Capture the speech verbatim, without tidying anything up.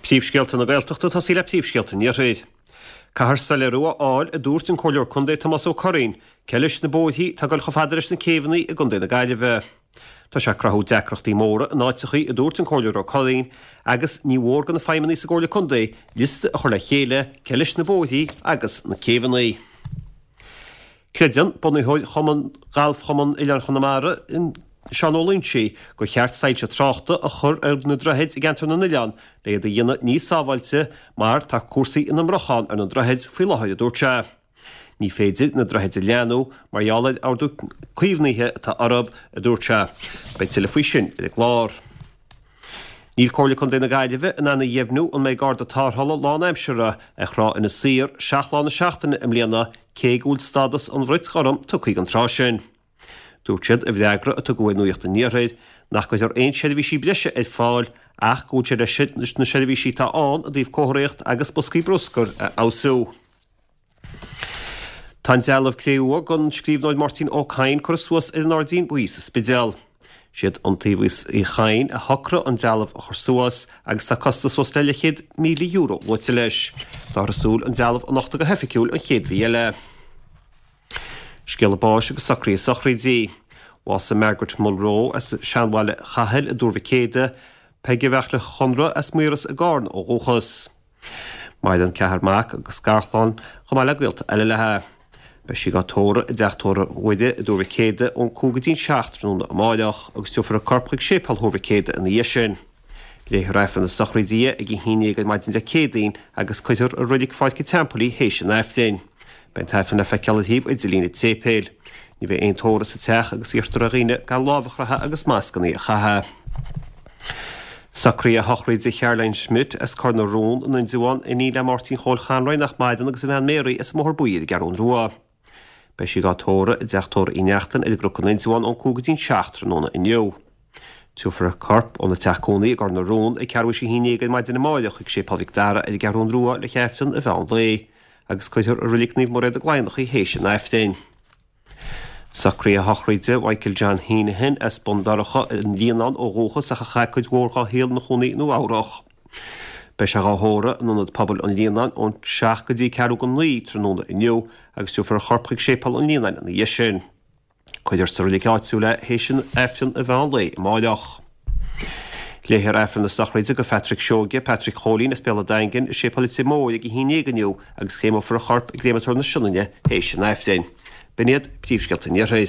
Príomhscéalta na Gaeltachta tosaí le príomhscéalta an Iarthair. Caithfear soiléiriú a fháil, a dúirt an Comhairleoir Contae Tomás Ó Curraoin, cé leis na bóithrí atá ag dul chomh fada leis na céibheanna i gContae na Gaillimhe. Tá sé ag cruthú deacrachtaí móra in áiteachaí, a dúirt an Comhairleoir Ó Curraoin, agus ní mhór do na feidhmeannaigh sa gComhairle Contae liosta a chur le chéile cé leis na bóithrí agus na céibheanna. Creideann bunaitheoir Chumann Galfchumann Oileáin Chonamara, Seán Ó Loingsigh, gur cheart soilse tráchta a chur ar na droichid i gceantar na n-oileán le iad a dhéanamh níos sábháilte mar tá cúrsaí ina mbrocháin ar na droichid faoi láthair, a dúirt sé. Ní féidir na droichid a leathnú mar gheall ar ordú caomhnaithe atá orthu, a dúirt sé. Beidh tuilleadh faoi sin ar an gclár. Níl Comhairle Contae na Gaillimhe in ann a dheimhniú an mbeidh garda tarrthála lánaimseartha ar Thrá Inis Oírr seacht lá na seachtaine i mbliana cé go bhfuil stádas an bhrait ghorm tugtha don trá sin. Dúirt siad i bhfreagra a tugadh ar Nuacht an Iarthair nach gcuirfear aon seirbhísí breise ar fáil ach go bhfuil sé leis na seirbhísí atá ann i dtaobh comharthaíocht agus boscaí bruscair a fheabhsú. Tá an dealbh cré-umha den scríbhneoir Máirtín Ó Cadhain curtha suas ar an Airdín Buí sa Spidéal. Siad Iontaobhas Uí Chadhain a shocraigh an dealbh a chur suas agus tá costas suas le leathchéad míle euro luaite leis. Táthar ag súil an dealbh a nochtadh go hoifigiúil an chéad mhí eile. Scéala báis agus socruithe sochraide. Bhásaigh Margaret Mulroe as Seanbhaile Chathail i dTuar Mhic Éadaigh, Peige Bheartla Chonradh as Maoras i gCarna ó dhúchas. Maireann ceathrar mac agus garchlann chomh maith le gaolta eile léi. Beidh sí á tórramh i dteach tórraimh Mhuire i dTuar Mhic Éadaigh ón cúig go dtí'n seacht tráthnóna amáireach agus tabharfar a corp chuig séipéal Thuar Mhic Éadaigh ina dhiaidh sin. Léifear Aifreann na sochraide di ag a haon déag ar maidin Dé Céadaoin agus cuirfear i Reilig Pháirc an Teampaill í théis an Aifrinn. Beidh an t-aifreann le feiceáil ar shuíomh idirlín an tséipéil. Ní bheidh aon tórramh sa teach agus iarrtar ar dhaoine gan lámh a chroitheadh agus mascanna a chaitheamh. Socruithe sochraide Caroline Schmidt as Cor na Rón in Indreabhán, iníon le Máirtín Chóil Chanraí nach maireann agus a bhean Mary as an mBóthar Buí ar an gCeathrú Rua. Beidh sí á tórramh i dteach tórraimh Uí Neachtain ar an gCnoc in Indreabhán ón cúig go dtí'n seacht tráthnóna inniu. Tabharfar a corp óna teach cónaí i gCor na Rón ag ceathrú théis a haon déag ar maidin amáireach chuig Séipéal Mhic Dara ar an gCeathrú Rua le hAifreann a mheán lae, agus cuirfear i Reilig Naomh Mairéad i gCladhnach í théis an Aifrinn. Socruithe sochraide Michael John Heneghan as Bun Dobhráin an Líonán ó dhúchas ach a chaith cuid mhór dá shaol ina chónaí i Nua Eabhrac. Beidh sé á thórramh in ionad pobail an Líonáin ón seacht go dtí ceathrú go naoi tráthnóna inniu agus tabharfar a chorp chuig séipéal an Líonáin ina dhiaidh sin. Cuirfear sa reilig áitiúil é théis an Aifreann a mheán lae amáireach. Léifear Aifreann na sochraide do Phatrick Seoige, Patrick Chóilín as Béal an Daingin i séipéal Leitir Móir ag a haon déag inniu agus créamófar a chorp i gcréamatóir na Sionainne théis an Aifrinn. B'in iad príomhscéalta an Iarthair.